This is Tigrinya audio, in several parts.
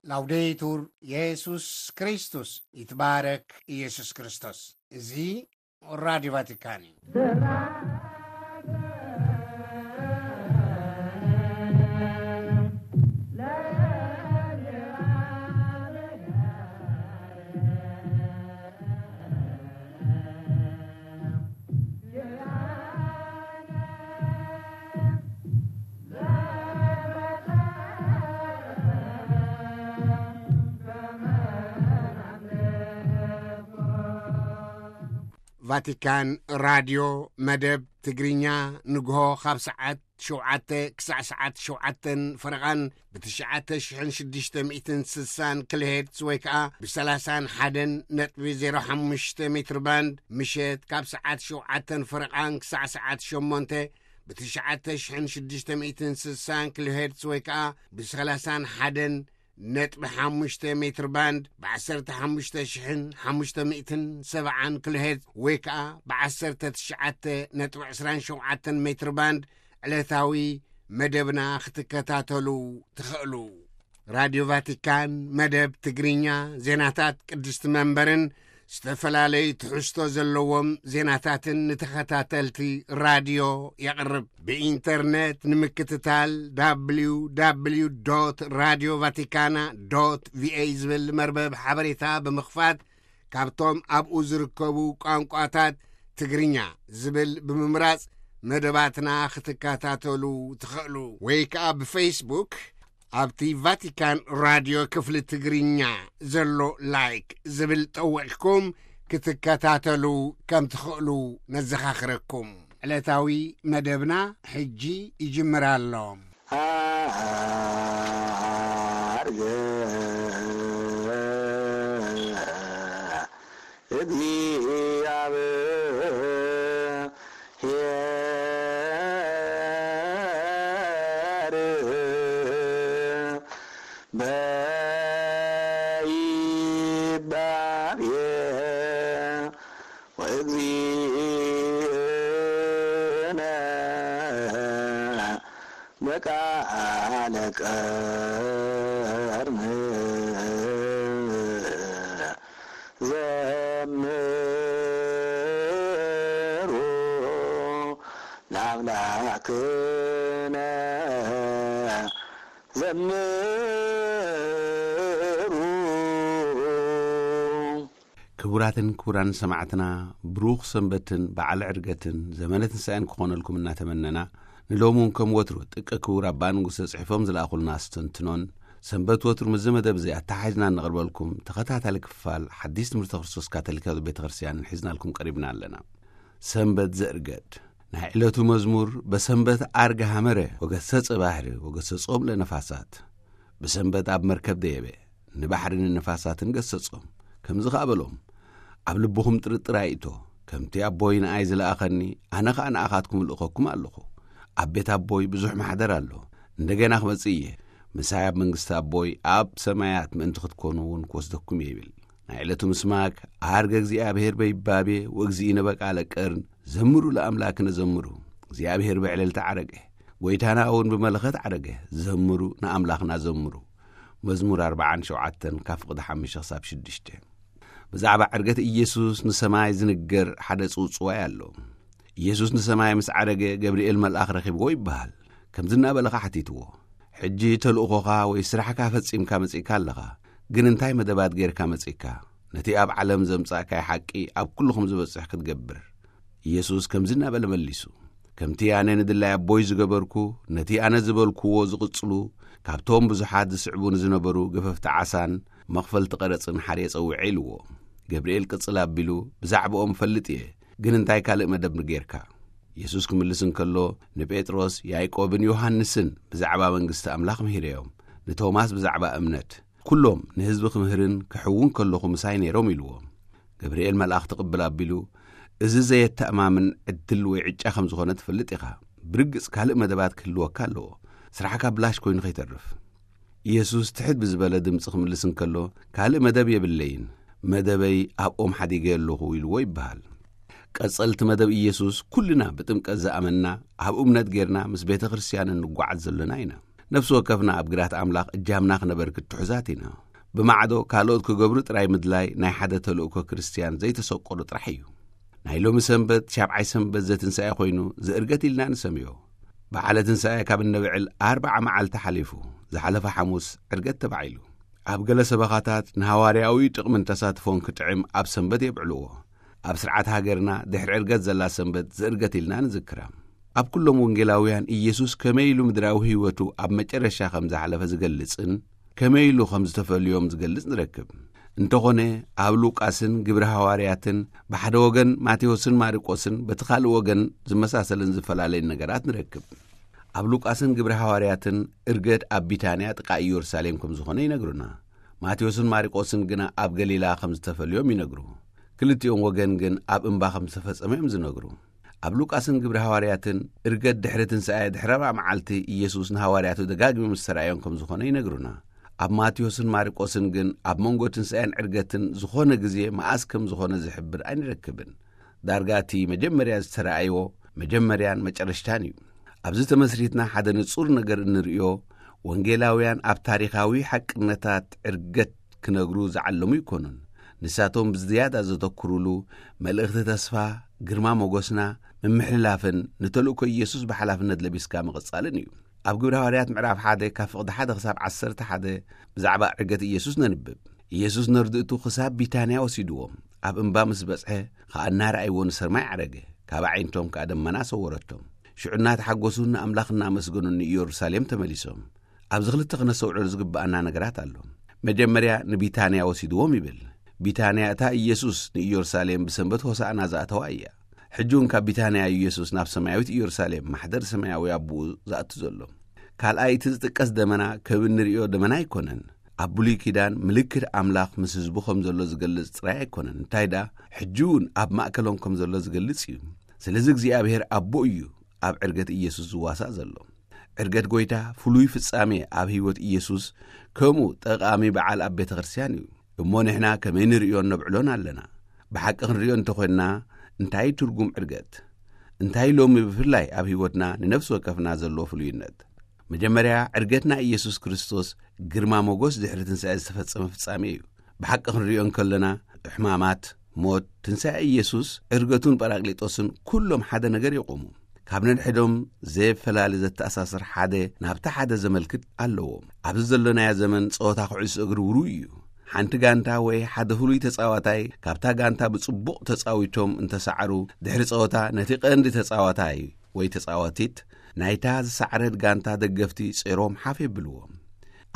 ላውዴቱር የሱስ ክርስቶስ፣ ይትባረክ ኢየሱስ ክርስቶስ። እዚ ራዲዮ ቫቲካን እዩ። ቫቲካን ራድዮ መደብ ትግርኛ ንግሆ ካብ ሰዓት ሸውዓተ ክሳዕ ሰዓት ሸውዓተን ፈረቓን ብትሽዓተ ሽሕን ሽዱሽተ ሚእትን ስሳን ኪሎሄርትዝ ወይ ከኣ ብሰላሳን ሓደን ነጥቢ ዜሮ ሓሙሽተ ሜትር ባንድ፣ ምሸት ካብ ሰዓት ሸውዓተን ፈረቓን ክሳዕ ሰዓት ሸሞንተ ብትሽዓተ ሽሕን ሽዱሽተ ሚእትን ስሳን ኪሎሄርትዝ ወይ ከኣ ብሰላሳን ሓደን ነጥቢ ሓሙሽተ ሜትር ባንድ፣ ብዓሰርተ ሓሙሽተ ሽሕን ሓሙሽተ ሚእትን ሰብዓን ኪሎሄርትዝ ወይ ከኣ ብዓሰርተ ትሽዓተ ነጥቢ ዕስራን ሸውዓተን ሜትር ባንድ ዕለታዊ መደብና ክትከታተሉ ትኽእሉ። ራድዮ ቫቲካን መደብ ትግርኛ፣ ዜናታት ቅድስቲ መንበርን ዝተፈላለዩ ትሕዝቶ ዘለዎም ዜናታትን ንተኸታተልቲ ራድዮ የቕርብ። ብኢንተርኔት ንምክትታል፣ www radio vaticana va ዝብል መርበብ ሓበሬታ ብምኽፋት፣ ካብቶም ኣብኡ ዝርከቡ ቋንቋታት ትግርኛ ዝብል ብምምራጽ መደባትና ክትከታተሉ ትኽእሉ። ወይ ከኣ ብፌስቡክ ኣብቲ ቫቲካን ራድዮ ክፍሊ ትግርኛ ዘሎ ላይክ ዝብል ጠዊቕኩም ክትከታተሉ ከም ትኽእሉ ነዘኻኽረኩም። ዕለታዊ መደብና ሕጂ ይጅምር ኣሎ። ኣርገ እግዚአብሔር በይባቤ ወእግዚእነ በቃለ ቀርም ዘምሩ ለአምላክነ ዘምሩ። ክቡራትን ክቡራን ሰማዕትና፣ ብሩኽ ሰንበትን በዓል ዕርገትን ዘመነ ትንሳኤን ክኾነልኩም እናተመነና፣ ንሎሚ እውን ከም ወትሩ ጥቀ ክቡር ኣባ ንጉሰ ጽሒፎም ዝለኣኹልና ኣስተንትኖን፣ ሰንበት ወትሩ ምስዚ መደብ እዚ ኣተሓሒዝና እነቕርበልኩም ተኸታታሊ ክፋል ሓዲስ ትምህርተ ክርስቶስ ካቶሊካዊት ቤተ ክርስቲያን ሒዝናልኩም ቀሪብና ኣለና። ሰንበት ዘእርገድ። ናይ ዕለቱ መዝሙር፣ በሰንበት ኣርገ ሃመረ ወገሰጸ ባሕሪ ወገሰጾም ለነፋሳት። ብሰንበት ኣብ መርከብ ደየበ፣ ንባሕርን ንነፋሳትን ገሰጾም። ከምዚ ኸኣ በሎም፣ ኣብ ልብኹም ጥርጥር ኣይእቶ። ከምቲ ኣቦይ ንኣይ ዝለኣኸኒ፣ ኣነ ኸኣ ንኣኻትኩም እልእኸኩም ኣለኹ። ኣብ ቤት ኣቦይ ብዙሕ ማሕደር ኣሎ። እንደገና ክመጽእ እየ። ምሳይ ኣብ መንግስቲ ኣቦይ ኣብ ሰማያት ምእንቲ ክትኮኑ እውን ክወስደኩም እየ ይብል። ናይ ዕለቱ ምስማክ፣ ኣርገ እግዚኣብሔር በይባቤ ወእግዚእነ በቃለ ቀርን፣ ዘምሩ ለኣምላክነ ዘምሩ። እግዚኣብሔር ብዕልልታ ዓረገ፣ ጐይታና እውን ብመለኸት ዓረገ። ዘምሩ፣ ንኣምላኽና ዘምሩ። መዝሙር ኣርብዓን ሸውዓተን ካብ ፍቕዲ ሓሙሽተ ክሳብ ሽዱሽተ። ብዛዕባ ዕርገት ኢየሱስ ንሰማይ ዝንገር ሓደ ጽውጽዋይ ኣሎ። ኢየሱስ ንሰማይ ምስ ዓረገ፣ ገብርኤል መልኣኽ ረኺብዎ ይበሃል። ከምዚ እናበለ ኸዓ ሓቲትዎ፣ "ሕጂ ተልእኾኻ ወይ ስራሕካ ፈጺምካ መጺእካ ኣለኻ፣ ግን እንታይ መደባት ጌርካ መጺእካ? ነቲ ኣብ ዓለም ዘምጻእካይ ሓቂ ኣብ ኩልኹም ዝበጽሕ ክትገብር?" ኢየሱስ ከምዚ እናበለ መሊሱ፣ "ከምቲ ኣነ ንድላይ ኣቦይ ዝገበርኩ፣ ነቲ ኣነ ዝበልኩዎ ዝቕጽሉ፣ ካብቶም ብዙሓት ዝስዕቡኒ ዝነበሩ ገፈፍቲ ዓሳን መኽፈልቲ ቀረጽን ሓርየ ጸዊዐ" ኢልዎ። ገብርኤል ቅጽል ኣቢሉ፣ "ብዛዕባኦም እፈልጥ እየ፣ ግን እንታይ ካልእ መደብ ጌርካ?" የሱስ ክምልስ እንከሎ፣ ንጴጥሮስ፣ ያዕቆብን ዮሃንስን ብዛዕባ መንግስቲ ኣምላኽ ምሂረዮም። ንቶማስ ብዛዕባ እምነት፣ "ኩሎም ንህዝቢ ክምህርን ክሕውን ከለኹ ምሳይ ነይሮም" ኢልዎ። ገብርኤል መልኣኽ ትቕብል ኣቢሉ፣ "እዚ ዘየተኣማምን ዕድል ወይ ዕጫ ከም ዝኾነ ትፈልጥ ኢኻ። ብርግጽ ካልእ መደባት ክህልወካ ኣለዎ። ስራሕካ ብላሽ ኮይኑ ከይተርፍ።" ኢየሱስ ትሕት ብዝበለ ድምጺ ክምልስ እንከሎ፣ "ካልእ መደብ የብለይን፣ መደበይ ኣብኦም ሓዲገ ኣለኹ" ኢልዎ ይበሃል። ቀጸልቲ መደብ ኢየሱስ፣ ኩልና ብጥምቀት ዝኣመንና፣ ኣብ እምነት ጌርና ምስ ቤተ ክርስቲያን እንጓዓዝ ዘለና ኢና። ነፍሲ ወከፍና ኣብ ግራት ኣምላኽ እጃምና ክነበርክት ትሑዛት ኢና። ብማዕዶ ካልኦት ክገብሩ ጥራይ ምድላይ ናይ ሓደ ተልእኮ ክርስትያን ዘይተሰቆሩ ጥራሕ እዩ። ናይ ሎሚ ሰንበት ሻብዓይ ሰንበት ዘትንሳኤ ኮይኑ ዝእርገት ኢልና ንሰምዮ። በዓለ ትንሳኤ ካብ እነበዕል ኣርባዓ መዓልቲ ሓሊፉ፣ ዝሓለፈ ሓሙስ ዕርገት ተባዒሉ። ኣብ ገለ ሰበኻታት ንሃዋርያዊ ጥቕምን ተሳትፎን ክጥዕም ኣብ ሰንበት የብዕልዎ። ኣብ ስርዓት ሃገርና ድሕሪ ዕርገት ዘላ ሰንበት ዝእርገት ኢልና ንዝክራ። ኣብ ኩሎም ወንጌላውያን ኢየሱስ ከመይ ኢሉ ምድራዊ ህይወቱ ኣብ መጨረሻ ከም ዝሓለፈ ዝገልጽን ከመይ ኢሉ ከም ዝተፈልዮም ዝገልጽ ንረክብ። እንተኾነ ኣብ ሉቃስን ግብሪ ሃዋርያትን ብሓደ ወገን ማቴዎስን ማርቆስን በቲ ካልእ ወገን ዝመሳሰልን ዝፈላለየን ነገራት ንረክብ። ኣብ ሉቃስን ግብሪ ሃዋርያትን እርገት ኣብ ቢታንያ ጥቃ ኢየሩሳሌም ከም ዝኾነ ይነግሩና። ማቴዎስን ማርቆስን ግና ኣብ ገሊላ ከም ዝተፈልዮም ይነግሩ። ክልቲኦም ወገን ግን ኣብ እምባ ከም ዝተፈጸመ እዮም ዝነግሩ። ኣብ ሉቃስን ግብሪ ሃዋርያትን እርገት ድሕሪ ትንሳኤ ድሕሪ ኣርባዓ መዓልቲ ኢየሱስ ንሃዋርያቱ ደጋጊሙ ምስ ተራእዮም ከም ዝኾነ ይነግሩና። ኣብ ማቴዎስን ማርቆስን ግን ኣብ መንጎ ትንሳኤን ዕርገትን ዝኾነ ግዜ መኣስ ከም ዝኾነ ዝሕብር ኣይንረክብን። ዳርጋ እቲ መጀመርያ ዝተራእይዎ መጀመርያን መጨረሽታን እዩ። ኣብዚ ተመስሪትና ሓደ ንጹር ነገር እንርእዮ፣ ወንጌላውያን ኣብ ታሪኻዊ ሓቅነታት ዕርገት ክነግሩ ዝዓለሙ ኣይኮኑን። ንሳቶም ብዝያዳ ዘተኩሩሉ፣ መልእኽቲ ተስፋ፣ ግርማ ሞገስና፣ ምምሕልላፍን ንተልእኮ ኢየሱስ ብሓላፍነት ለቢስካ ምቕጻልን እዩ። ኣብ ግብረ ሃዋርያት ምዕራፍ ሓደ ካብ ፍቕዲ ሓደ ክሳብ ዓሰርተ ሓደ ብዛዕባ ዕርገት ኢየሱስ ነንብብ። ኢየሱስ ነርድእቱ ክሳብ ቢታንያ ወሲድዎም። ኣብ እምባ ምስ በጽሐ፣ ኸኣ እናረኣይዎ ንሰማይ ዓረገ። ካብ ኣዒንቶም ከኣ ደመና ሰወረቶም። ሽዑ እናተሓጎሱ ንኣምላኽ እናመስገኑ ንኢየሩሳሌም ተመሊሶም። ኣብዚ ክልተ ክነስተውዕሎ ዝግብኣና ነገራት ኣሎ። መጀመርያ ንቢታንያ ወሲድዎም ይብል። ቢታንያ እታ ኢየሱስ ንኢየሩሳሌም ብሰንበት ሆሳዕና ዝኣተዋ እያ። ሕጂ እውን ካብ ቢታንያ እዩ ኢየሱስ ናብ ሰማያዊት ኢየሩሳሌም፣ ማሕደር ሰማያዊ ኣቦኡ ዝኣቱ ዘሎ። ካልኣይ፣ እቲ ዝጥቀስ ደመና ከም እንርእዮ ደመና ኣይኮነን። ኣብ ብሉይ ኪዳን ምልክት ኣምላኽ ምስ ህዝቡ ከም ዘሎ ዝገልጽ ጥራይ ኣይኮነን። እንታይ ደኣ፣ ሕጂ እውን ኣብ ማእከሎም ከም ዘሎ ዝገልጽ እዩ። ስለዚ እግዚኣብሔር ኣቦ እዩ ኣብ ዕርገት ኢየሱስ ዝዋሳእ ዘሎ። ዕርገት ጐይታ ፍሉይ ፍጻሜ ኣብ ህይወት ኢየሱስ፣ ከምኡ ጠቓሚ በዓል ኣብ ቤተ ክርስቲያን እዩ። እሞ ንሕና ከመይ ንርእዮን ነብዕሎን ኣለና? ብሓቂ ክንርእዮ እንተኾንና፣ እንታይ ትርጉም ዕርገት? እንታይ ሎሚ ብፍላይ ኣብ ህይወትና ንነፍሲ ወከፍና ዘሎ ፍሉይነት? መጀመርያ፣ ዕርገትና ኢየሱስ ክርስቶስ ግርማ ሞገስ ድሕሪ ትንሳኤ ዝተፈጸመ ፍጻሜ እዩ። ብሓቂ ክንርእዮ እንከለና፣ ሕማማት፣ ሞት፣ ትንሳኤ ኢየሱስ፣ ዕርገቱን ጳራቅሊጦስን ኩሎም ሓደ ነገር የቑሙ። ካብ ነንሕዶም ዘየፈላሊ ዘተኣሳስር ሓደ ናብቲ ሓደ ዘመልክት ኣለዎ። ኣብዚ ዘሎናዮ ዘመን ጸወታ ኩዕሶ እግሪ ውሩይ እዩ። ሓንቲ ጋንታ ወይ ሓደ ፍሉይ ተጻዋታይ ካብታ ጋንታ ብጽቡቕ ተጻዊቶም እንተሰዓሩ፣ ድሕሪ ጸወታ ነቲ ቀንዲ ተጻዋታይ ወይ ተጻዋቲት ናይታ ዝሰዓረት ጋንታ ደገፍቲ ጾሮም ሓፍ የብልዎም።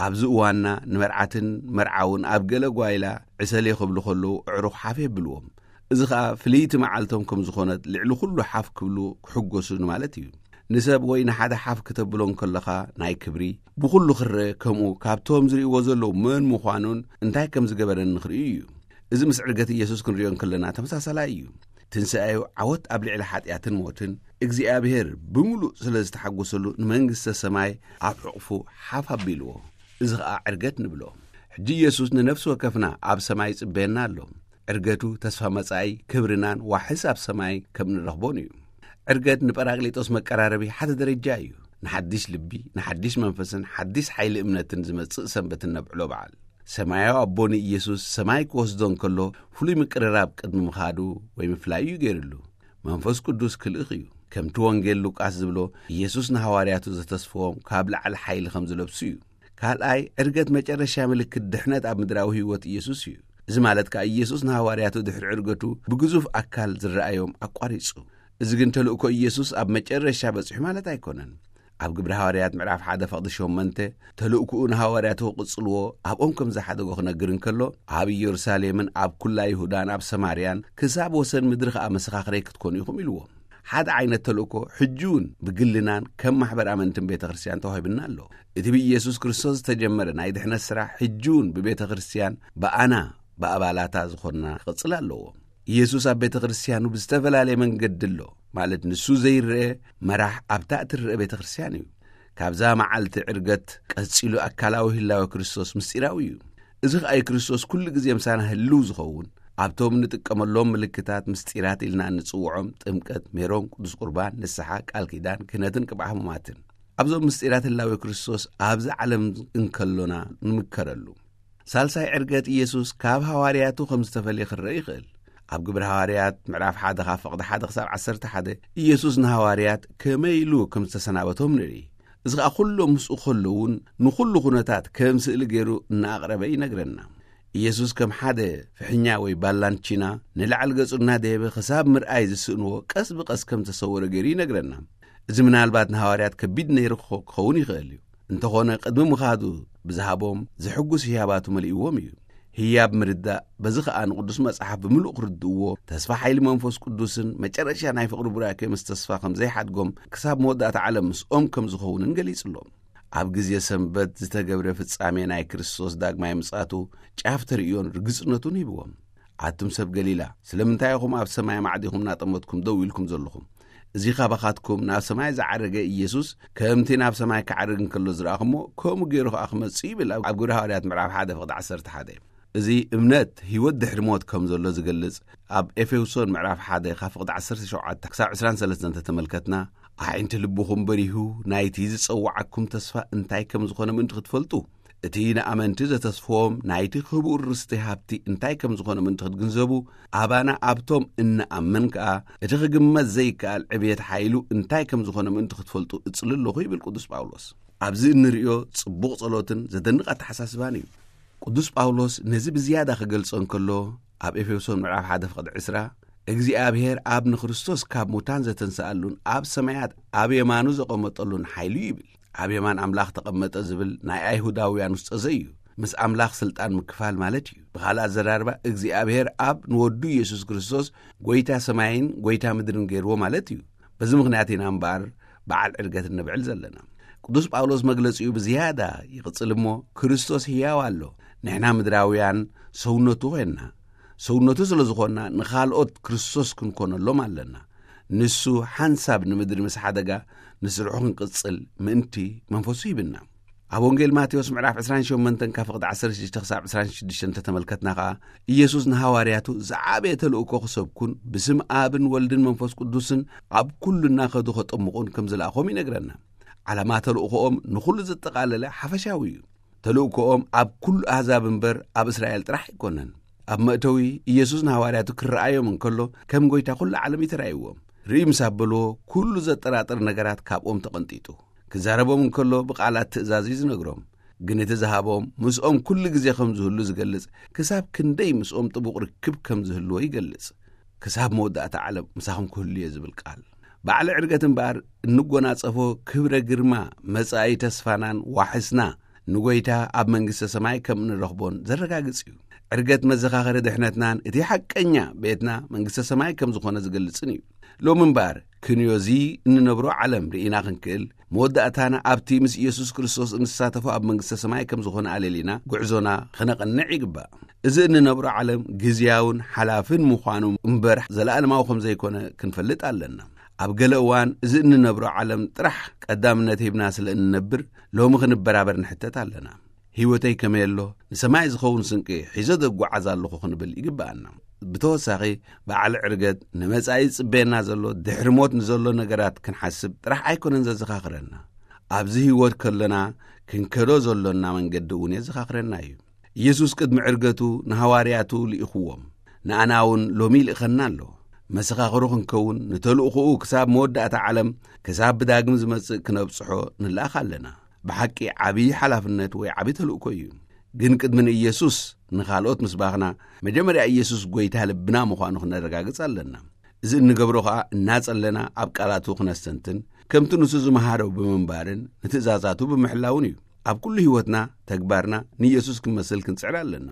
ኣብዚ እዋንና ንመርዓትን መርዓውን ኣብ ገለ ጓይላ ዕሰሌ ክብሉ ከለዉ ኣዕሩኽ ሓፍ የብልዎም። እዚ ኸኣ ፍልይቲ መዓልቶም ከም ዝኾነት ልዕሊ ኩሉ ሓፍ ክብሉ ክሕጎሱ ንማለት እዩ። ንሰብ ወይ ንሓደ ሓፍ ክተብሎ እንከለኻ ናይ ክብሪ፣ ብኹሉ ክረአ ከምኡ ካብቶም ዝርእይዎ ዘለዉ መን ምዃኑን እንታይ ከም ዝገበረን ንኽርእዩ እዩ። እዚ ምስ ዕርገት ኢየሱስ ክንርእዮ እንከለና ተመሳሳላይ እዩ። ትንሳኤኡ ዓወት ኣብ ልዕሊ ሓጢኣትን ሞትን እግዚኣብሔር ብምሉእ ስለ ዝተሓጎሰሉ ንመንግስተ ሰማይ ኣብ ሕቑፉ ሓፍ ኣቢልዎ። እዚ ኸኣ ዕርገት ንብሎ። ሕጂ ኢየሱስ ንነፍሲ ወከፍና ኣብ ሰማይ ይጽበየና ኣሎ። ዕርገቱ ተስፋ መጻኢ ክብርናን ዋሕስ ኣብ ሰማይ ከም ንረኽቦን እዩ። ዕርገት ንጳራቅሊጦስ መቀራረቢ ሓደ ደረጃ እዩ። ንሓድሽ ልቢ፣ ንሓድሽ መንፈስን ሓድሽ ሓይሊ እምነትን ዝመጽእ ሰንበት እነብዕሎ በዓል። ሰማያዊ ኣቦ ንኢየሱስ ሰማይ ክወስዶ እንከሎ ፍሉይ ምቅርራብ ቅድሚ ምኻዱ ወይ ምፍላዩ እዩ ገይርሉ። መንፈስ ቅዱስ ክልእኽ እዩ። ከምቲ ወንጌል ሉቃስ ዝብሎ፣ ኢየሱስ ንሃዋርያቱ ዘተስፍዎም ካብ ላዕሊ ሓይሊ ከም ዝለብሱ እዩ። ካልኣይ፣ ዕርገት መጨረሻ ምልክት ድሕነት ኣብ ምድራዊ ህይወት ኢየሱስ እዩ። እዚ ማለት ከኣ ኢየሱስ ንሃዋርያቱ ድሕሪ ዕርገቱ ብግዙፍ ኣካል ዝረኣዮም ኣቋሪጹ። እዚ ግን ተልእኮ ኢየሱስ ኣብ መጨረሻ በጺሑ ማለት ኣይኮነን። ኣብ ግብሪ ሃዋርያት ምዕራፍ ሓደ ፈቕዲ ሸሞንተ ተልእኮኡ ንሃዋርያቱ ክቕጽልዎ ኣብኦም ከም ዝሓደጎ ክነግር እንከሎ፣ ኣብ ኢየሩሳሌምን ኣብ ኩላ ይሁዳን ኣብ ሰማርያን ክሳብ ወሰን ምድሪ ከኣ መሰኻኽረይ ክትኮኑ ኢኹም ኢልዎም። ሓደ ዓይነት ተልእኮ ሕጂ እውን ብግልናን ከም ማሕበር ኣመንትን ቤተ ክርስቲያን ተዋሂብና ኣሎ። እቲ ብኢየሱስ ክርስቶስ ዝተጀመረ ናይ ድሕነት ስራሕ ሕጂ እውን ብቤተ ክርስቲያን ብኣና ብኣባላታ ዝኾንና ክቕጽል ኣለዎ። ኢየሱስ ኣብ ቤተ ክርስቲያኑ ብዝተፈላለየ መንገዲ ኣሎ፣ ማለት ንሱ ዘይረአ መራሕ ኣብታ እትረአ ቤተ ክርስቲያን እዩ። ካብዛ መዓልቲ ዕርገት ቀጺሉ ኣካላዊ ህላወ ክርስቶስ ምስጢራዊ እዩ። እዚ ኸኣ ክርስቶስ ኩሉ ግዜ ምሳና ህልው ዝኸውን፣ ኣብቶም ንጥቀመሎም ምልክታት ምስጢራት ኢልና እንጽውዖም ጥምቀት፣ ሜሮን፣ ቅዱስ ቁርባን፣ ንስሓ፣ ቃል ኪዳን፣ ክህነትን ቅብዓ ሕሙማትን። ኣብዞም ምስጢራት ህላዌ ክርስቶስ ኣብዚ ዓለም እንከሎና ንምከረሉ። ሳልሳይ ዕርገት ኢየሱስ ካብ ሃዋርያቱ ከም ዝተፈልየ ክረአ ይኽእል። ኣብ ግብሪ ሃዋርያት ምዕራፍ ሓደ ካብ ፍቕዲ ሓደ ክሳብ ዓሰርተ ሓደ ኢየሱስ ንሃዋርያት ከመይ ኢሉ ከም ዝተሰናበቶም ንርኢ። እዚ ኸኣ ኩሎም ምስኡ ከለዉን ንኹሉ ኩነታት ከም ስእሊ ገይሩ እናኣቕረበ ይነግረና። ኢየሱስ ከም ሓደ ፍሕኛ ወይ ባላንቺና ንላዕሊ ገጹ እናደየበ ክሳብ ምርኣይ ዝስእንዎ ቀስ ብቐስ ከም ተሰወረ ገይሩ ይነግረና። እዚ ምናልባት ንሃዋርያት ከቢድ ነይሩ ክኸ- ክኸውን ይኽእል እዩ። እንተኾነ ቅድሚ ምኻዱ ብዝሃቦም ዘሕጉስ ህያባቱ መሊእዎም እዩ። ህያብ ምርዳእ በዚ ኸኣ ንቅዱስ መጽሓፍ ብምሉእ ክርድእዎ፣ ተስፋ ሓይሊ መንፈስ ቅዱስን መጨረሻ ናይ ፍቕሪ ቡራኬ ምስ ተስፋ ከም ዘይሓድጎም ክሳብ መወዳእታ ዓለም ምስኦም ከም ዝኾውንን ገሊጽሎም። ኣብ ግዜ ሰንበት ዝተገብረ ፍጻሜ ናይ ክርስቶስ ዳግማይ ምጻቱ ጫፍ ተርእዮን ርግጽነቱን ሂብዎም። ኣቱም ሰብ ገሊላ፣ ስለምንታይ ኢኹም ኣብ ሰማይ ማዕዲኹም እናጠመትኩም ደው ኢልኩም ዘለኹም? እዚ ካባኻትኩም ናብ ሰማይ ዝዓረገ ኢየሱስ ከምቲ ናብ ሰማይ ክዓርግ እንከሎ ዝረኣኹሞ፣ ከምኡ ገይሩ ኸኣ ክመጽእ ይብል ኣብ ኣብ ግብሪ ሃዋርያት ምዕራፍ ሓደ ፍቕዲ ዓሰርተ ሓደ። እዚ እምነት ህይወት ድሕሪ ሞት ከም ዘሎ ዝገልጽ ኣብ ኤፌሶን ምዕራፍ ሓደ ካብ ፍቕዲ ዓሰርተ ሸውዓተ ክሳብ ዕስራን ሰለስተን እንተተመልከትና፣ ኣዒንቲ ልብኹም በሪሁ ናይቲ ዝጸውዓኩም ተስፋ እንታይ ከም ዝኾነ ምእንቲ ክትፈልጡ፣ እቲ ንኣመንቲ ዘተስፍዎም ናይቲ ክቡር ርስቲ ሃብቲ እንታይ ከም ዝኾነ ምእንቲ ክትግንዘቡ፣ ኣባና ኣብቶም እንኣምን ከኣ እቲ ክግመት ዘይከኣል ዕብየት ሓይሉ እንታይ ከም ዝኾነ ምእንቲ ክትፈልጡ እጽሊ ኣለኹ ይብል ቅዱስ ጳውሎስ። ኣብዚ እንርእዮ ጽቡቕ ጸሎትን ዘደንቕ ኣተሓሳስባን እዩ። ቅዱስ ጳውሎስ ነዚ ብዝያዳ ክገልጾ እንከሎ፣ ኣብ ኤፌሶን ምዕራፍ ሓደ ፍቕዲ ዕስራ፣ እግዚኣብሔር ኣብ ንክርስቶስ ካብ ሙታን ዘተንስኣሉን ኣብ ሰማያት ኣብ የማኑ ዘቐመጠሉን ሓይሉ ይብል። ኣብ የማን ኣምላኽ ተቐመጠ ዝብል ናይ ኣይሁዳውያን ውስጠዘ እዩ። ምስ ኣምላኽ ስልጣን ምክፋል ማለት እዩ። ብኻልእ ኣዘራርባ እግዚኣብሔር ኣብ ንወዱ ኢየሱስ ክርስቶስ ጎይታ ሰማይን ጎይታ ምድርን ገይርዎ ማለት እዩ። በዚ ምኽንያት ኢና እምበኣር በዓል ዕርገት እነብዕል ዘለና። ቅዱስ ጳውሎስ መግለጺኡ ብዝያዳ ይቕጽል እሞ፣ ክርስቶስ ህያው ኣሎ፣ ንሕና ምድራውያን ሰውነቱ ኾንና። ሰውነቱ ስለ ዝኾንና ንኻልኦት ክርስቶስ ክንኮነሎም ኣለና። ንሱ ሓንሳብ ንምድሪ ምስ ሓደጋ ንስርሑ ክንቅጽል ምእንቲ መንፈሱ ሂብና። ኣብ ወንጌል ማቴዎስ ምዕራፍ ዕስራን ሸሞንተን ካብ ፍቕዲ ዓሰርተ ሽዱሽተ ክሳብ ዕስራን ሽዱሽተን እንተተመልከትና ኸኣ፣ ኢየሱስ ንሃዋርያቱ ዝዓበየ ተልእኮ ክሰብኩን ብስም ኣብን ወልድን መንፈስ ቅዱስን ኣብ ኩሉ እናኸዱ ከጠምቑን ከም ዝለኣኾም ይነግረና። ዓላማ ተልእኮኦም ንኹሉ ዘጠቓለለ ሓፈሻዊ እዩ። ተልእኮኦም ኣብ ኩሉ ኣህዛብ እምበር ኣብ እስራኤል ጥራሕ ኣይኮነን። ኣብ መእተዊ ኢየሱስ ንሃዋርያቱ ክረኣዮም እንከሎ ከም ጎይታ ኩሉ ዓለም እዩ ተራእይዎም። ርኢ ምስ ኣበልዎ ኩሉ ዘጠራጥር ነገራት ካብኦም ተቐንጢጡ። ክዛረቦም እንከሎ ብቓላት ትእዛዝ እዩ ዝነግሮም። ግን እቲ ዝሃቦም ምስኦም ኩሉ ግዜ ከም ዝህሉ ዝገልጽ፣ ክሳብ ክንደይ ምስኦም ጥቡቕ ርክብ ከም ዝህልዎ ይገልጽ። ክሳብ መወዳእታ ዓለም ምሳኹም ክህሉ እየ ዝብል ቃል። በዓለ ዕርገት እምበኣር እንጎናጸፎ ክብረ ግርማ መጻኢ ተስፋናን ዋሕስና ንጎይታ ኣብ መንግስተ ሰማይ ከም እንረኽቦን ዘረጋግጽ እዩ። ዕርገት መዘኻኸሪ ድሕነትናን እቲ ሓቀኛ ቤትና መንግስተ ሰማይ ከም ዝኾነ ዝገልጽን እዩ። ሎሚ እምበኣር ክንዮ እዚ እንነብሮ ዓለም ርኢና ክንክእል፣ መወዳእታና ኣብቲ ምስ ኢየሱስ ክርስቶስ እንሳተፎ ኣብ መንግስተ ሰማይ ከም ዝኾነ ኣለሊና ጉዕዞና ክነቕንዕ ይግባእ። እዚ እንነብሮ ዓለም ግዝያውን ሓላፍን ምዃኑ እምበር ዘለኣለማዊ ከም ዘይኮነ ክንፈልጥ ኣለና። ኣብ ገለ እዋን እዚ እንነብሮ ዓለም ጥራሕ ቀዳምነት ሂብና ስለ እንነብር፣ ሎሚ ክንበራበር ንሕተት ኣለና። ህይወተይ ከመይ ኣሎ? ንሰማይ ዝኸውን ስንቂ ሒዘ ዘጓዓዝ ኣለኹ ክንብል ይግብኣና። ብተወሳኺ፣ በዓል ዕርገት ንመጻኢ ዝጽበየና ዘሎ ድሕሪ ሞት ንዘሎ ነገራት ክንሓስብ ጥራሕ ኣይኮነን ዘዘኻኽረና። ኣብዚ ህይወት ከለና ክንከዶ ዘሎና መንገዲ እውን የዘኻኽረና እዩ። ኢየሱስ ቅድሚ ዕርገቱ ንሃዋርያቱ ልኢኽዎም፣ ንኣና እውን ሎሚ ይልእኸና ኣሎ። መሰኻኽሩ ክንከውን፣ ንተልእኾኡ ክሳብ መወዳእታ ዓለም፣ ክሳብ ብዳግም ዝመጽእ ክነብጽሖ ንለኣኽ ኣለና። ብሓቂ ዓብዪ ሓላፍነት ወይ ዓብዪ ተልእኮ እዩ። ግን ቅድሚ ንኢየሱስ ንኻልኦት ምስባኽና፣ መጀመርያ ኢየሱስ ጐይታ ልብና ምዃኑ ክነረጋግጽ ኣለና። እዚ እንገብሮ ኸኣ እናጸለና ኣብ ቃላቱ ክነስተንትን፣ ከምቲ ንሱ ዝመሃሮ ብምንባርን ንትእዛዛቱ ብምሕላውን እዩ። ኣብ ኩሉ ህይወትና፣ ተግባርና ንኢየሱስ ክንመስል ክንጽዕር ኣለና።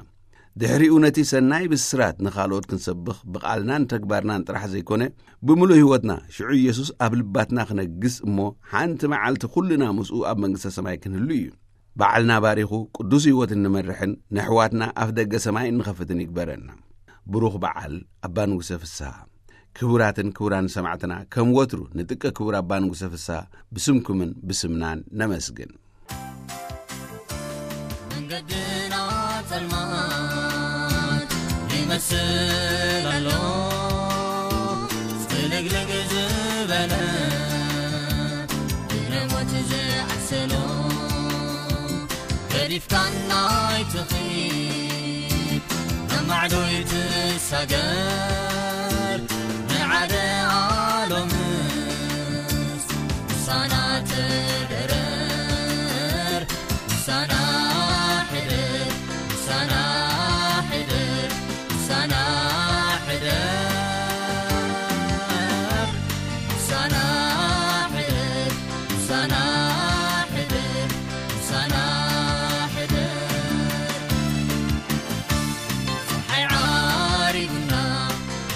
ድሕሪኡ ነቲ ሰናይ ብስራት ንኻልኦት ክንሰብኽ ብቓልናን ተግባርናን ጥራሕ ዘይኮነ፣ ብምሉእ ህይወትና ሽዑ ኢየሱስ ኣብ ልባትና ክነግስ እሞ፣ ሓንቲ መዓልቲ ኩልና ምስኡ ኣብ መንግስተ ሰማይ ክንህሉ እዩ። በዓልና ባሪኹ ቅዱስ ህይወት እንመርሕን ነሕዋትና ኣፍ ደገ ሰማይ እንኸፍትን ይግበረና። ብሩኽ በዓል ኣባ ንጉሰ ፍስሃ። ክቡራትን ክቡራን ሰማዕትና፣ ከም ወትሩ ንጥቀ ክቡር ኣባ ንጉሰ ፍስሃ ብስምኩምን ብስምናን ነመስግን። መንገድና ጸልማት ይመስል ኣሎ፣ ጽልግልግ ዝበለ ድሕሪ ሞት ኢፍታና ኣይትኺድ፣ ነማዕዶ ይትሳገር፣ ንዓደ ኣሎምስ፣ ምሳና ተደረር፣ ምሳና ሕደር፣ ምሳና ሕደር፣ ምሳና ሕደር፣ ምሳና ሕደር፣ ምሳና ሕደር። ምሳና ሕደር። ጸሓይ ዓሪቡና፣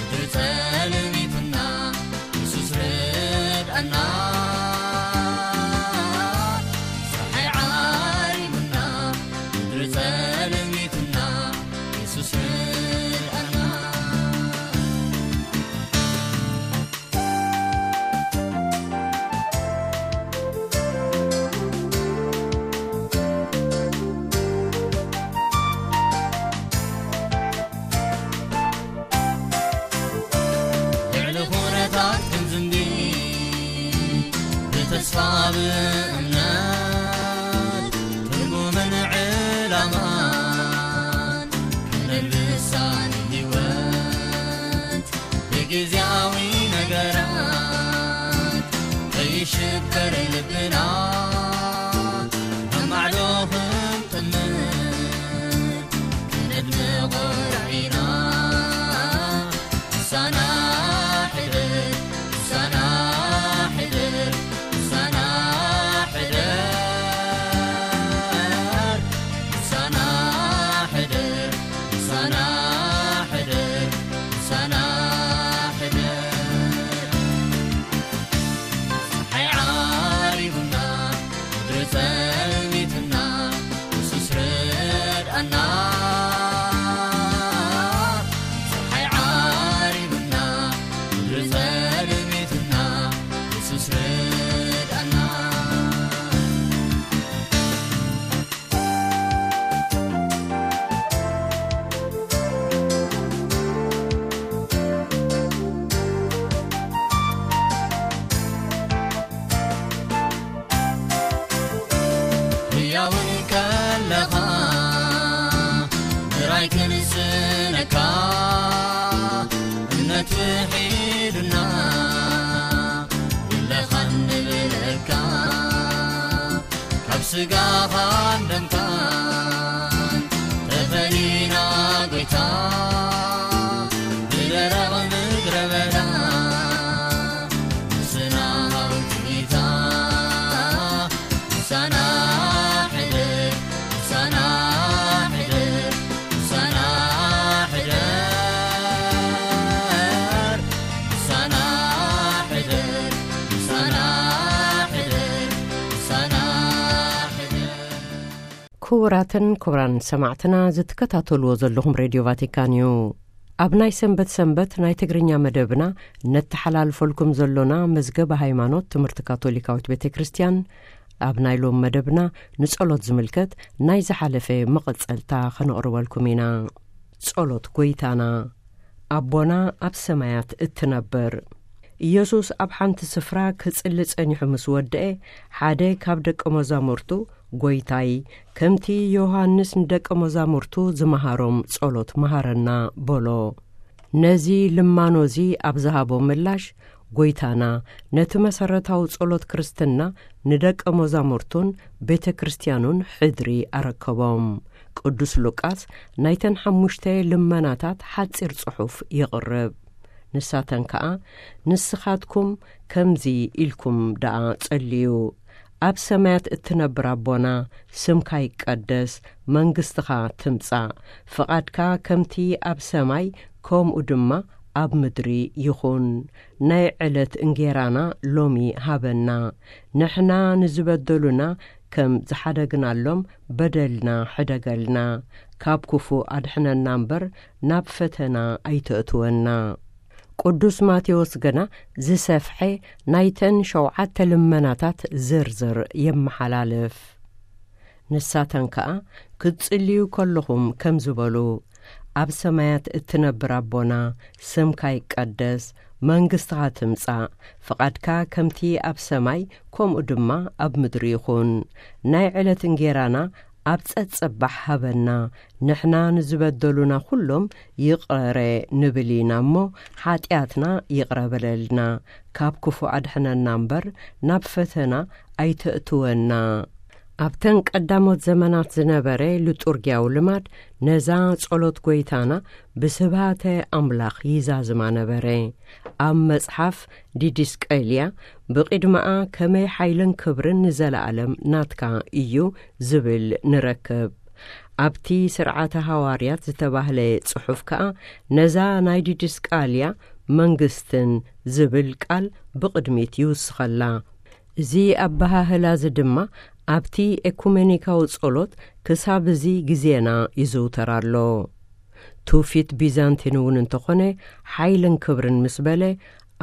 ምድሪ ጸልሚቱና፣ የሱስ ርድኣና። ጸሓይ ዓሪቡና፣ ምድሪ ጸልሚቱና፣ የሱስ ርድኣና። ልዕሊ ኹነታት ክንዝንቢ፣ ብተስፋ ብእምነት ትርጉምን ዕላማን ክነልብሳ ንህይወት። ብግዝያዊ ነገራት ከይሽበር ልብና፣ ነማዕዶ ክንጥምር ክነድምቖ ራኢና። ምሳና ሕደር፣ ምሳና ሕደር፣ ምሳና ሕደር፣ ምሳና ሕደር፣ ምሳና ሕደር። ምሳና ሕደር። ጸሓይ ዓሪቡና፣ ምድሪ ጸልሚትና፣ የሱስ ርድኣና። ጸሓይ ዓሪቡና፣ ምድሪ ጸልሚትና፣ የሱስ ርድኣና። ህያውን ከለኻ ምራይ ክንስነካ እምነት ውሒዱና የለኻን ንብለካ። ካብ ስጋኻን ደምካን ተፈሊና ጎይታ፣ ብደረቕ ምድረ በዳ ምስና ሃውቲታ። ምሳና ሕደር፣ ምሳና ሕደር፣ ምሳና ሕደር፣ ምሳና ሕደር፣ ምሳና ሕደር፣ ምሳና ሕደር። ክቡራትን ክቡራን ሰማዕትና፣ ዝትከታተልዎ ዘለኹም ሬድዮ ቫቲካን እዩ። ኣብ ናይ ሰንበት ሰንበት ናይ ትግርኛ መደብና ነተሓላልፈልኩም ዘሎና መዝገበ ሃይማኖት ትምህርቲ ካቶሊካዊት ቤተ ክርስቲያን፣ ኣብ ናይ ሎም መደብና ንጸሎት ዝምልከት ናይ ዝሓለፈ መቐጸልታ ከነቕርበልኩም ኢና። ጸሎት ጎይታና። ኣቦና ኣብ ሰማያት እትነብር። ኢየሱስ ኣብ ሓንቲ ስፍራ ክጽሊ ጸኒሑ ምስ ወድአ፣ ሓደ ካብ ደቀ መዛሙርቱ፣ "ጎይታይ፣ ከምቲ ዮሃንስ ንደቀ መዛሙርቱ ዝመሃሮም ጸሎት መሃረና" በሎ። ነዚ ልማኖ እዚ ኣብ ዝሃቦ ምላሽ፣ ጎይታና ነቲ መሰረታዊ ጸሎት ክርስትና ንደቀ መዛሙርቱን ቤተ ክርስቲያኑን ሕድሪ ኣረከቦም። ቅዱስ ሉቃስ ናይተን ሓሙሽተ ልመናታት ሓጺር ጽሑፍ የቕርብ። ንሳተን ከኣ፣ "ንስኻትኩም ከምዚ ኢልኩም ደኣ ጸልዩ፣ ኣብ ሰማያት እትነብር ኣቦና፣ ስምካ ይቀደስ፣ መንግስትኻ ትምጻእ፣ ፍቓድካ ከምቲ ኣብ ሰማይ ከምኡ ድማ ኣብ ምድሪ ይኹን። ናይ ዕለት እንጌራና ሎሚ ሃበና። ንሕና ንዝበደሉና ከም ዝሓደግናሎም በደልና ሕደገልና። ካብ ክፉእ ኣድሕነና እምበር ናብ ፈተና ኣይተእትወና።" ቅዱስ ማቴዎስ ግና ዝሰፍሐ ናይተን ሸውዓተ ልመናታት ዝርዝር የመሓላልፍ። ንሳተን ከኣ ክትጽልዩ ከለኹም ከምዚ በሉ፣ "ኣብ ሰማያት እትነብር ኣቦና፣ ስምካ ይቀደስ፣ መንግስትኻ ትምጻእ፣ ፍቓድካ ከምቲ ኣብ ሰማይ ከምኡ ድማ ኣብ ምድሪ ይኹን። ናይ ዕለት እንጌራና ኣብ ጸጸባሕ ሃበና። ንሕና ንዝበደሉና ኩሎም ይቕረ ንብል ኢና እሞ፣ ሓጢኣትና ይቕረ በለልና፣ ካብ ክፉእ ኣድሕነና እምበር፣ ናብ ፈተና ኣይተእትወና። ኣብተን ቀዳሞት ዘመናት ዝነበረ ሊጡርጊያዊ ልማድ፣ ነዛ ጸሎት ጐይታና ብስብሃተ ኣምላኽ ይዛዝማ ነበረ። ኣብ መጽሓፍ ዲድስቀልያ፣ ብቕድመኣ ከመይ ሓይልን ክብርን ንዘለኣለም ናትካ እዩ ዝብል ንረክብ። ኣብቲ ስርዓተ ሃዋርያት ዝተባህለ ጽሑፍ ከኣ፣ ነዛ ናይ ዲድስቃልያ መንግስትን ዝብል ቃል ብቕድሚት ይውስኸላ። እዚ ኣበሃህላ እዚ ድማ ኣብቲ ኤኩሜኒካዊ ጸሎት ክሳብ እዚ ግዜና ይዝውተር ኣሎ። ትውፊት ቢዛንቲን እውን እንተኾነ፣ ሓይልን ክብርን ምስ በለ፣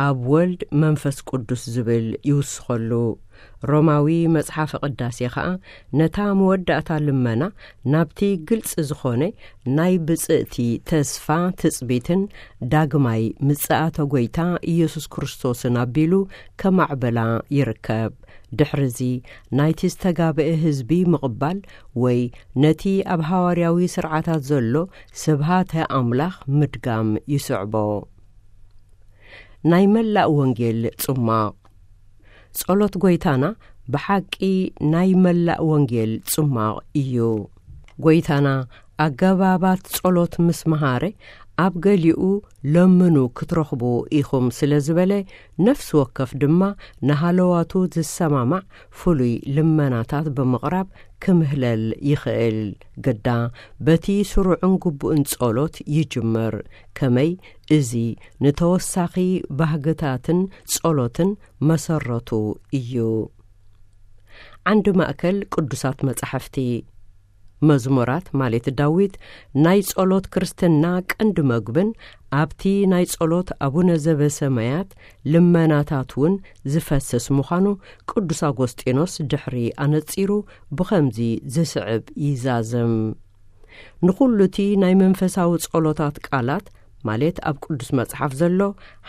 ኣብ ወልድ መንፈስ ቅዱስ ዝብል ይውስኸሉ። ሮማዊ መጽሓፈ ቅዳሴ ኸኣ፣ ነታ መወዳእታ ልመና ናብቲ ግልጺ ዝኾነ ናይ ብጽእቲ ተስፋ ትጽቢትን ዳግማይ ምጽኣተ ጐይታ ኢየሱስ ክርስቶስን ኣቢሉ ከማዕበላ ይርከብ። ድሕርዚ ናይቲ ዝተጋብአ ህዝቢ ምቕባል ወይ ነቲ ኣብ ሃዋርያዊ ስርዓታት ዘሎ ስብሃተ ኣምላኽ ምድጋም ይስዕቦ። ናይ መላእ ወንጌል ጽማቕ። ጸሎት ጐይታና ብሓቂ ናይ መላእ ወንጌል ጽማቕ እዩ። ጐይታና ኣገባባት ጸሎት ምስ መሃረ፣ ኣብ ገሊኡ ለምኑ ክትረኽቡ ኢኹም ስለ ዝበለ፣ ነፍሲ ወከፍ ድማ ንሃለዋቱ ዝሰማማዕ ፍሉይ ልመናታት ብምቕራብ ክምህለል ይኽእል። ግዳ በቲ ስሩዕን ግቡእን ጸሎት ይጅምር። ከመይ? እዚ ንተወሳኺ ባህግታትን ጸሎትን መሰረቱ እዩ። ዓንዲ ማእከል ቅዱሳት መጻሕፍቲ። መዝሙራት ማለት ዳዊት ናይ ጸሎት ክርስትና ቀንዲ መግብን ኣብቲ ናይ ጸሎት ኣቡነ ዘበሰማያት ልመናታት እውን ዝፈስስ ምዃኑ ቅዱስ ኣጎስጢኖስ ድሕሪ ኣነጺሩ ብኸምዚ ዝስዕብ ይዛዝም። ንኹሉ እቲ ናይ መንፈሳዊ ጸሎታት ቃላት፣ ማለት ኣብ ቅዱስ መጽሓፍ ዘሎ፣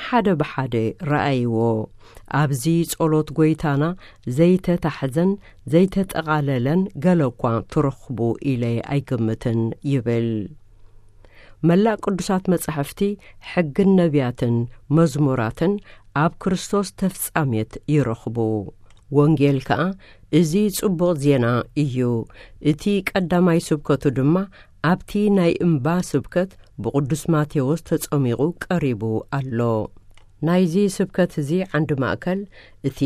ሓደ ብሓደ ረኣይዎ። ኣብዚ ጸሎት ጐይታና ዘይተታሕዘን ዘይተጠቓለለን ገለ እኳ ትረኽቡ ኢለ ኣይግምትን ይብል። መላእ ቅዱሳት መጻሕፍቲ፣ ሕግን ነቢያትን መዝሙራትን ኣብ ክርስቶስ ተፍጻሜት ይረኽቡ። ወንጌል ከኣ እዚ ጽቡቕ ዜና እዩ። እቲ ቀዳማይ ስብከቱ ድማ ኣብቲ ናይ እምባ ስብከት ብቅዱስ ማቴዎስ ተጸሚቑ ቀሪቡ ኣሎ። ናይዚ ስብከት እዚ ዓንዲ ማእከል እቲ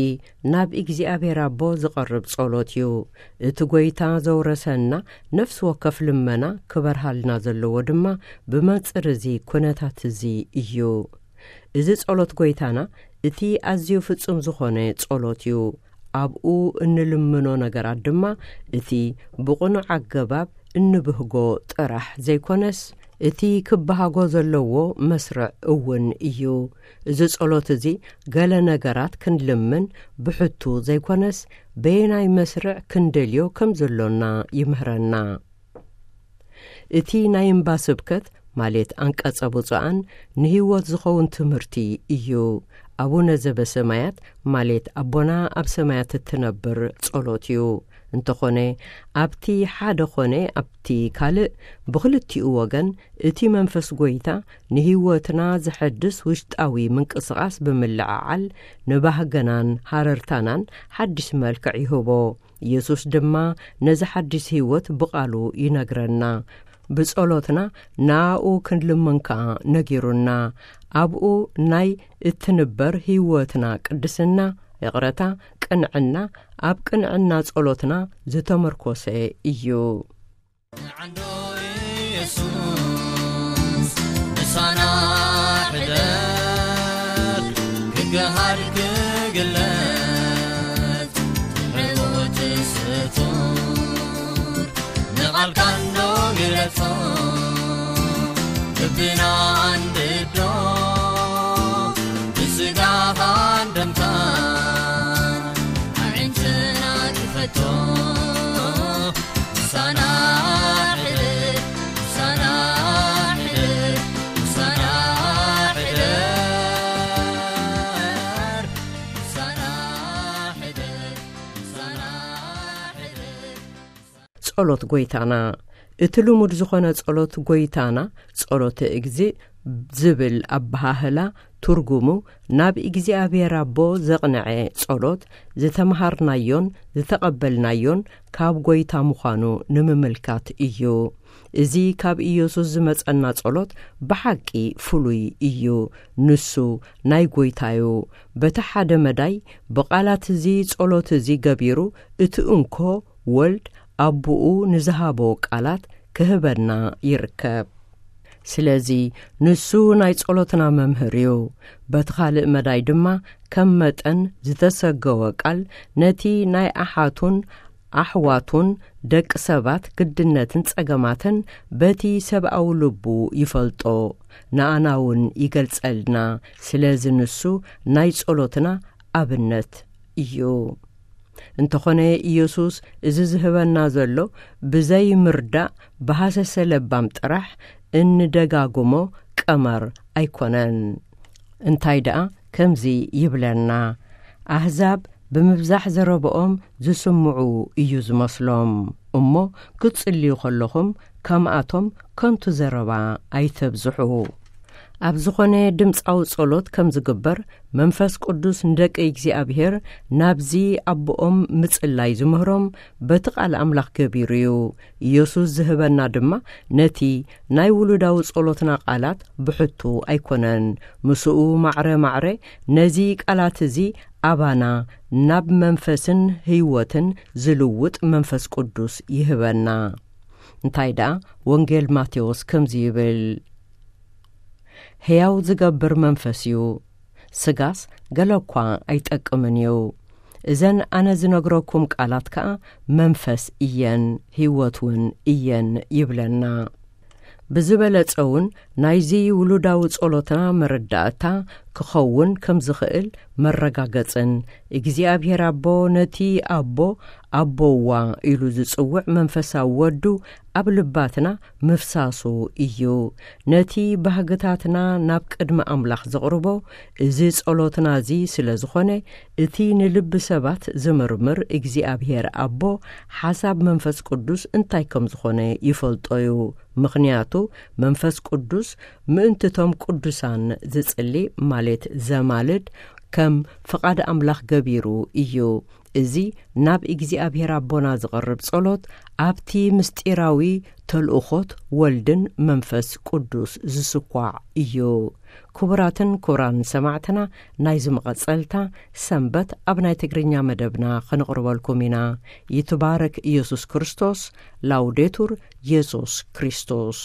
ናብ እግዚኣብሔር ኣቦ ዝቐርብ ጸሎት እዩ። እቲ ጐይታ ዘውረሰና ነፍሲ ወከፍ ልመና ክበርሃልና ዘለዎ ድማ ብመንጽር እዚ ኩነታት እዚ እዩ። እዚ ጸሎት ጐይታና እቲ ኣዝዩ ፍጹም ዝኾነ ጸሎት እዩ። ኣብኡ እንልምኖ ነገራት ድማ እቲ ብቕኑዕ ኣገባብ እንብህጎ ጥራሕ ዘይኮነስ፣ እቲ ክበሃጎ ዘለዎ መስርዕ እውን እዩ። እዚ ጸሎት እዚ ገለ ነገራት ክንልምን ብሕቱ ዘይኮነስ፣ በየናይ መስርዕ ክንደልዮ ከም ዘሎና ይምህረና። እቲ ናይ እምባ ስብከት፣ ማለት ኣንቀጸ ብፁዓን፣ ንህይወት ዝኸውን ትምህርቲ እዩ። ኣቡነ ዘበሰማያት፣ ማለት ኣቦና ኣብ ሰማያት እትነብር ጸሎት እዩ። እንተኾነ፣ ኣብቲ ሓደ ኾነ ኣብቲ ካልእ፣ ብኽልቲኡ ወገን፣ እቲ መንፈስ ጐይታ ንህይወትና ዘሐድስ ውሽጣዊ ምንቅስቓስ ብምልዕዓል፣ ንባህገናን ሃረርታናን ሓድሽ መልክዕ ይህቦ። ኢየሱስ ድማ ነዚ ሓድሽ ህይወት ብቓሉ ይነግረና። ብጸሎትና ንኣኡ ክንልምን ከኣ ነጊሩና። ኣብኡ ናይ እትንበር ህይወትና ቅድስና፣ ይቕረታ፣ ቅንዕና፣ ኣብ ቅንዕና ጸሎትና ዝተመርኮሰ እዩ። ዓንዶ ኢየሱስ ምሳና ሕደር፣ ክገሃድ ክግለጽ፣ ሕሞት ስቱር፣ ንቓልካ እንዶ ግለጾ፣ ልብና ኣንድዶ፣ ብስጋኻን ደምካን ኣዒንትና ክፈቶ። ምሳና ሕደር፣ ምሳና ሕደር፣ ምሳና ሕደር፣ ምሳና ሕደር፣ ምሳና ሕደር። ጸሎት ጎይታና። እቲ ልሙድ ዝኾነ ጸሎት ጎይታና፣ ጸሎተ እግዚእ ዝብል ኣበሃህላ፣ ትርጉሙ ናብ እግዚኣብሔር ኣቦ ዘቕንዐ ጸሎት፣ ዝተምሃርናዮን ዝተቐበልናዮን ካብ ጎይታ ምዃኑ ንምምልካት እዩ። እዚ ካብ ኢየሱስ ዝመጸና ጸሎት ብሓቂ ፍሉይ እዩ። ንሱ ናይ ጎይታዩ። በቲ ሓደ መዳይ፣ ብቓላት እዚ ጸሎት እዚ ገቢሩ፣ እቲ እንኮ ወልድ ኣቦኡ ንዝሃቦ ቃላት ክህበና ይርከብ። ስለዚ፣ ንሱ ናይ ጸሎትና መምህር እዩ። በቲ ካልእ መዳይ ድማ፣ ከም መጠን ዝተሰገወ ቃል፣ ነቲ ናይ ኣሓቱን ኣሕዋቱን ደቂ ሰባት ግድነትን ጸገማትን በቲ ሰብኣዊ ልቡ ይፈልጦ፣ ንኣና እውን ይገልጸልና። ስለዚ፣ ንሱ ናይ ጸሎትና ኣብነት እዩ። እንተኾነ፣ ኢየሱስ እዚ ዝህበና ዘሎ ብዘይምርዳእ፣ ብሃሰሰ ለባም ጥራሕ እንደጋግሞ ቀመር ኣይኮነን። እንታይ ደኣ ከምዚ ይብለና፣ ኣህዛብ ብምብዛሕ ዘረብኦም ዝስምዑ እዩ ዝመስሎም። እሞ ክትጽልዩ ከለኹም፣ ከምኣቶም ከንቱ ዘረባ ኣይተብዝሑ። ኣብ ዝኾነ ድምጻዊ ጸሎት ከም ዝግበር፣ መንፈስ ቅዱስ ንደቂ እግዚኣብሔር ናብዚ ኣቦኦም ምጽላይ ዝምህሮም በቲ ቃል ኣምላኽ ገቢሩ እዩ። ኢየሱስ ዝህበና ድማ ነቲ ናይ ውሉዳዊ ጸሎትና ቃላት ብሕቱ ኣይኮነን። ምስኡ ማዕረ ማዕረ ነዚ ቃላት እዚ ኣባና ናብ መንፈስን ህይወትን ዝልውጥ መንፈስ ቅዱስ ይህበና። እንታይ ደኣ ወንጌል ማቴዎስ ከምዚ ይብል፣ "ሕያው ዝገብር መንፈስ እዩ፣ ስጋስ ገለ እኳ ኣይጠቅምን እዩ። እዘን ኣነ ዝነግረኩም ቃላት ከኣ መንፈስ እየን፣ ህይወት እውን እየን" ይብለና። ብዝበለጸ እውን ናይዚ ውሉዳዊ ጸሎትና መረዳእታ ክኸውን ከም ዝኽእል መረጋገጽን፣ እግዚኣብሔር ኣቦ ነቲ ኣቦ ኣቦዋ ኢሉ ዝጽውዕ መንፈሳዊ ወዱ ኣብ ልባትና ምፍሳሱ እዩ። ነቲ ባህግታትና ናብ ቅድሚ ኣምላኽ ዘቕርቦ እዚ ጸሎትና እዚ ስለ ዝኾነ፣ እቲ ንልቢ ሰባት ዝምርምር እግዚኣብሔር ኣቦ ሓሳብ መንፈስ ቅዱስ እንታይ ከም ዝኾነ ይፈልጦ እዩ። ምኽንያቱ መንፈስ ቅዱስ ምእንትቶም ቅዱሳን ዝጽሊ፣ ማለት ዘማልድ፣ ከም ፍቓድ ኣምላኽ ገቢሩ እዩ። እዚ ናብ እግዚኣብሔር ኣቦና ዝቐርብ ጸሎት ኣብቲ ምስጢራዊ ተልእኾት ወልድን መንፈስ ቅዱስ ዝስኳዕ እዩ። ክቡራትን ክቡራን ሰማዕትና፣ ናይዚ መቐጸልታ ሰንበት ኣብ ናይ ትግርኛ መደብና ክንቕርበልኩም ኢና። ይትባረክ ኢየሱስ ክርስቶስ። ላውዴቱር ኢየሱስ ክርስቶስ።